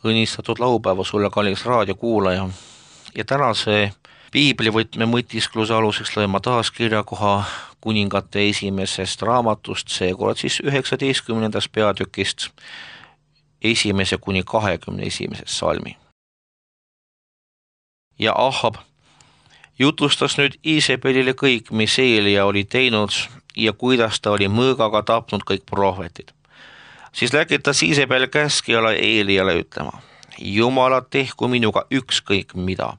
õnnistatud laupäeva sulle, kallis raadiokuulaja. Ja tänase piiblivõtme mõtiskluse aluseks lõima taas kirjakoha Kuningate esimesest raamatust, seekord siis 19. peatükist 1. kuni 21. salmi. Ja Ahab jutustas nüüd Iisabelile kõik, mis Eelia oli teinud ja kuidas ta oli mõõgaga tapnud kõik prohvetid. Siis läkitas Iisabel käskjale Eeliale ütlema: Jumala tehku minuga ükskõik mida,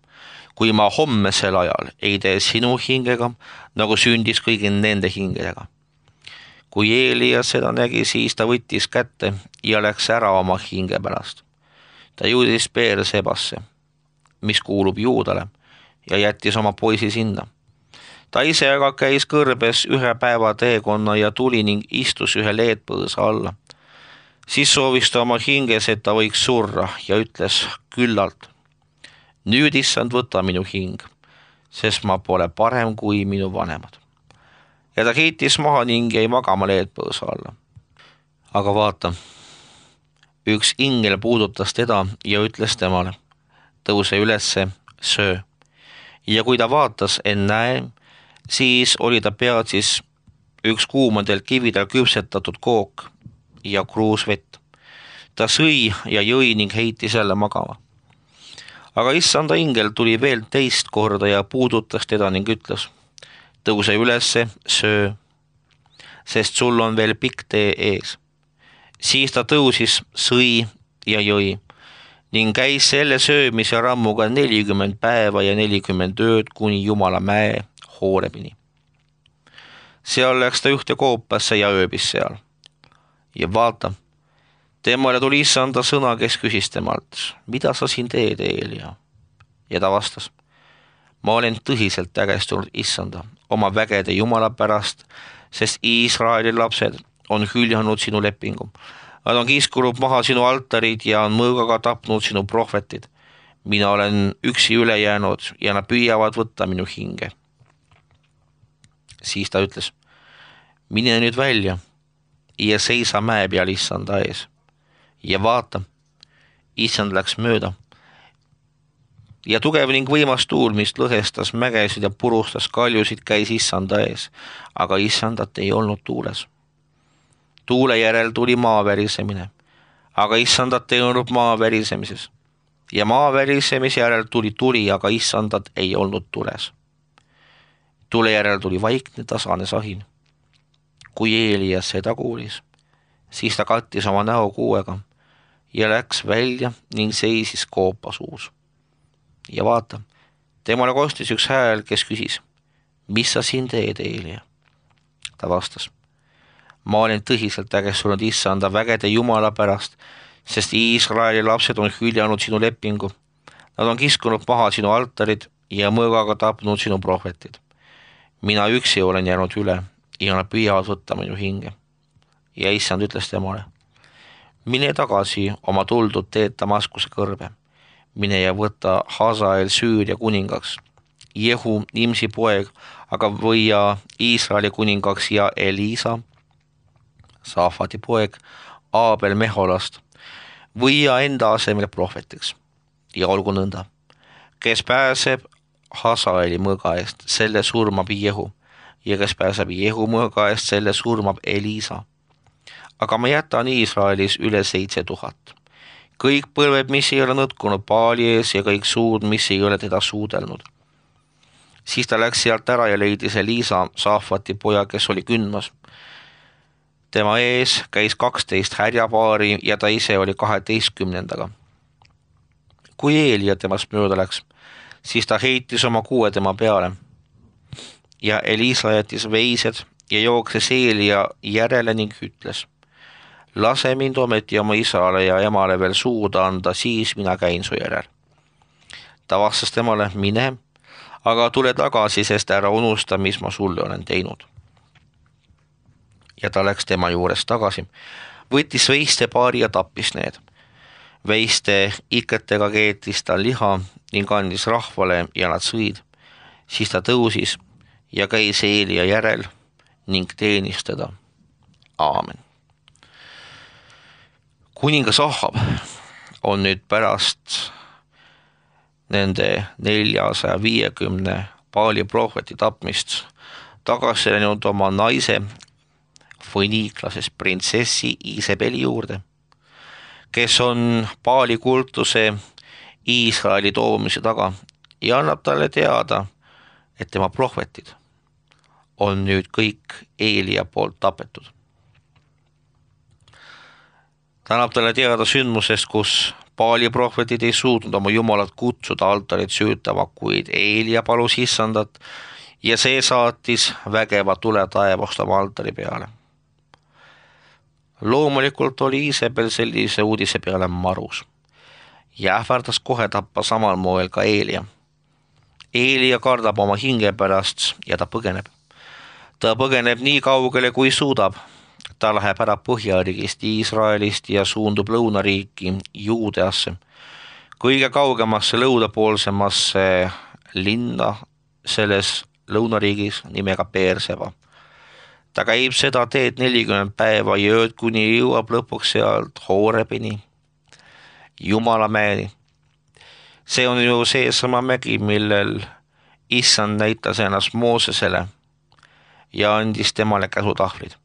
kui ma hommesel ajal ei tee sinu hingega, nagu sündis kõigi nende hingedega. Kui Eelia seda nägi, siis ta võttis kätte ja läks ära oma hinge pärast. Ta jõudis Beersebasse, mis kuulub Juudale, ja jättis oma poisi sinna. Ta ise aga käis kõrbes 1 päeva teekonna ja tuli ning istus ühe leedpõõsa alla. Siis soovis ta oma hinges, et ta võiks surra ja ütles küllalt: nüüd, issand, võta minu hing, sest ma pole parem kui minu vanemad. Ja ta heitis maha ning jäi magama leedpõõsa alla. Aga vaata, üks ingel puudutas teda ja ütles temale: tõuse ülesse, söö. Ja kui ta vaatas, näe, siis oli ta peatsis üks kuumadel kividel küpsetatud kook ja kruus vett. Ta sõi ja jõi ning heitis jälle magama. Aga issanda ingel tuli veel teist korda ja puudutas teda ning ütles: tõuse ülesse, söö, sest sul on veel pikk tee ees. Siis ta tõusis, sõi ja jõi ning käis selle söömise rammuga 40 päeva ja 40 ööd kuni Jumala mäe Hoorebini. Seal läks ta ühte koopasse ja ööbis seal. Ja vaata, temale tuli issanda sõna, kes küsis temalt: mida sa siin teed, Eelia? Ja ta vastas: ma olen tõsiselt ägestunud issanda, oma vägede Jumala pärast, sest Iisraeli lapsed on hüljanud sinu lepingu. Nad on kiskunud maha sinu altarid ja on mõõgaga tapnud sinu prohvetid. Mina olen üksi üle jäänud ja nad püüavad võtta minu hinge. Siis ta ütles: mine nüüd välja ja seisa mäe peal issanda ees. Ja vaata, issand läks mööda. Ja tugev ning võimas tuul, mis lõhestas mägesid ja purustas kaljusid, käis issanda ees, aga issandat ei olnud tuules. Tuule järel tuli maa värisemine, aga issandat ei olnud maa värisemises. Ja maa värisemise järel tuli tuli, aga issandat ei olnud tules. Tule järel tuli vaikne tasane sahin. Kui Eelia seda kuulis, siis ta kattis oma näo kuuega ja läks välja ning seisis koopa suus. Ja vaata, temale kostis üks hääl, kes küsis: mis sa siin teed, Eelia? Ta vastas: ma olen tõsiselt ägestunud issanda vägede Jumala pärast, sest Iisraeli lapsed on hüljanud sinu lepingu. Nad on kiskunud maha sinu altarid ja mõõgaga tapnud sinu prohvetid. Mina üksi olen jäänud üle ja nad püüavad võtta minu hinge. Ja issand ütles temale: mine tagasi oma tuldud teed Damaskuse kõrbe. Mine ja võta Hazael Süüria kuningaks, Jehu Nimsi poeg, aga võia Iisraeli kuningaks ja Elisa, Saafati poeg, Aabel Meholast, võia enda asemel prohvetiks. Ja olgu nõnda, kes pääseb Hazaeli mõõga eest, selle surmab Jehu, ja kes pääseb Jehu mõõga eest, selle surmab Elisa. Aga ma jätan Iisraelis üle 7000. Kõik põlved, mis ei ole nõtkunud Baali ees ja kõik suud, mis ei ole teda suudelnud. Siis ta läks sealt ära ja leidis Elisa, Saafati poja, kes oli kündmas. Tema ees käis 12 härjapaari ja ta ise oli 12. Kui Eelia temast mööda läks, siis ta heitis oma kuue tema peale. Ja Elisa jättis veised ja jookses Eelia järele ning ütles: lase mind ometi oma isale ja emale veel suuda anda, siis mina käin su järel. Ta vastas temale: mine, aga tule tagasi, sest ära unusta, mis ma sulle olen teinud. Ja ta läks tema juures tagasi, võttis veiste paari ja tappis need. Veiste iketega keetis ta liha ning andis rahvale ja nad sõid. Siis ta tõusis ja käis Eelia järel ning teenis teda. Aamen. Kuningas Ahab on nüüd pärast nende 450 Baali prohveti tapmist tagasi läinud oma naise foniiklasest printsessi Iisabeli juurde, kes on Baali kultuse Iisraeli toomise taga ja annab talle teada, et tema prohvetid on nüüd kõik Eelia poolt tapetud. Ta annab talle teada sündmusest, kus Baali prohvetid ei suutnud oma jumalat kutsuda altarit süütama, kuid Eelia palus issandat ja see saatis vägeva tule taevast oma altari peale. Loomulikult oli Iisabel sellise uudise peale marus ja ähvardas kohe tappa samal moel ka Eelia. Eelia kardab oma hinge pärast ja ta põgeneb. Ta põgeneb nii kaugele, kui suudab. Ta läheb ära põhjariigist Iisraelist ja suundub lõunariiki Juudeasse, kõige kaugemasse lõunapoolsemasse linna selles lõunariigis nimega Beerseba. Ta käib seda teed 40 päeva ja ööd, kuni jõuab lõpuks sealt Horebini, Jumalamäeni. See on ju seesama mägi, millel issand näitas ennast Moosesele ja andis temale käsutahvlid.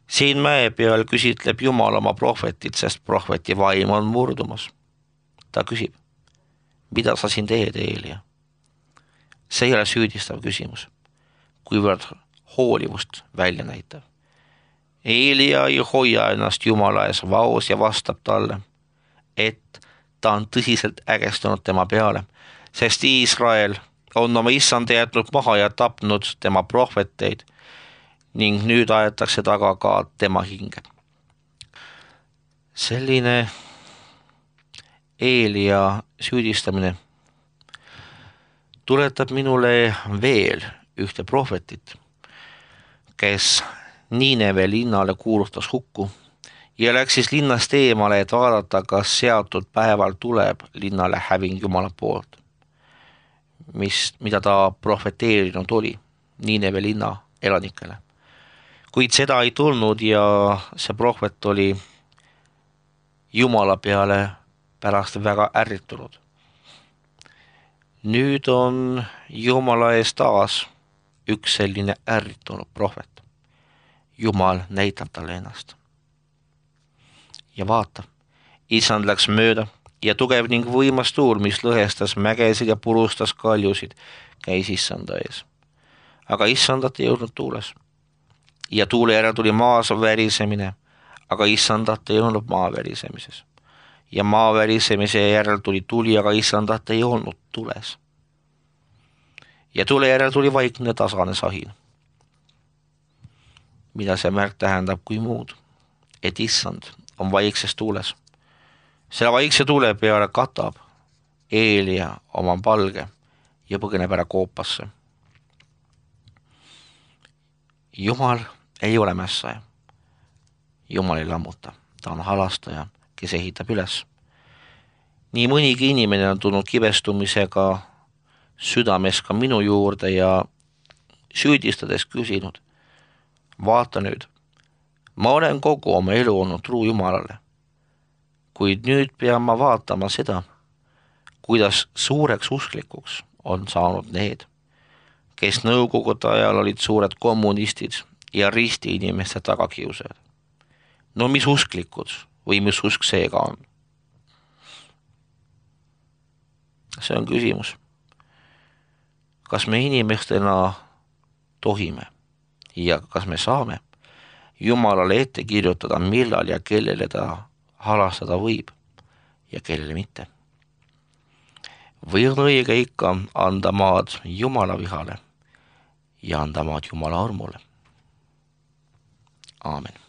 Siin mäe peal küsitleb Jumal oma prohvetit, sest prohveti vaim on murdumas. Ta küsib, mida sa siin teed, Eelia? See ei ole süüdistav küsimus, kuivõrd hoolivust välja näitav. Eelia ei hoia ennast Jumala ees vaos ja vastab talle, et ta on tõsiselt ägestunud tema peale, sest Iisrael on oma issand jätnud maha ja tapnud tema prohveteid ning nüüd aetakse taga ka tema hinge. Selline Eelia süüdistamine tuletab minule veel ühte prohvetit, kes Niineve linnale kuulutas hukku ja läksis linnast eemale, et vaadata, kas seatud päeval tuleb linnale häving Jumala poolt, mida ta prohveteerinud oli Niineve linna elanikele. Kuid seda ei tulnud ja see prohvet oli Jumala peale pärast väga ärritunud. Nüüd on Jumala ees taas üks selline ärritunud prohvet. Jumal näitab talle ennast. Ja vaata, issand läks mööda ja tugev ning võimas tuul, mis lõhestas mägesid ja purustas kaljusid, käis issanda ees. Aga issandat ei olnud tuules. Ja tuule järel tuli maas värisemine, aga issandat ei olnud maa värisemises. Ja maa värisemise järel tuli tuli, aga issandat ei olnud tules. Ja tule järel tuli vaikne tasane sahin. Mida see märk tähendab kui muud, et issand on vaikses tuules. Selle vaikse tuule peale katab Eelia oma palge ja põgeneb ära koopasse. Jumal ei ole mässaja. Jumal ei lammuta, ta on halastaja, kes ehitab üles. Nii mõnigi inimene on tulnud kibestumisega südames ka minu juurde ja süüdistades küsinud, vaata nüüd, ma olen kogu oma elu olnud truu Jumalale, kuid nüüd pean ma vaatama seda, kuidas suureks usklikuks on saanud need, kes nõukogude ajal olid suured kommunistid ja risti inimeste tagakiusajad. No mis usklikud või mis usk seega on? See on küsimus. Kas me inimestena tohime ja kas me saame Jumalale ette kirjutada, millal ja kellele ta halastada võib ja kellele mitte? Või on õige ikka anda maad Jumala vihale ja anda maad Jumala armule? Aamen.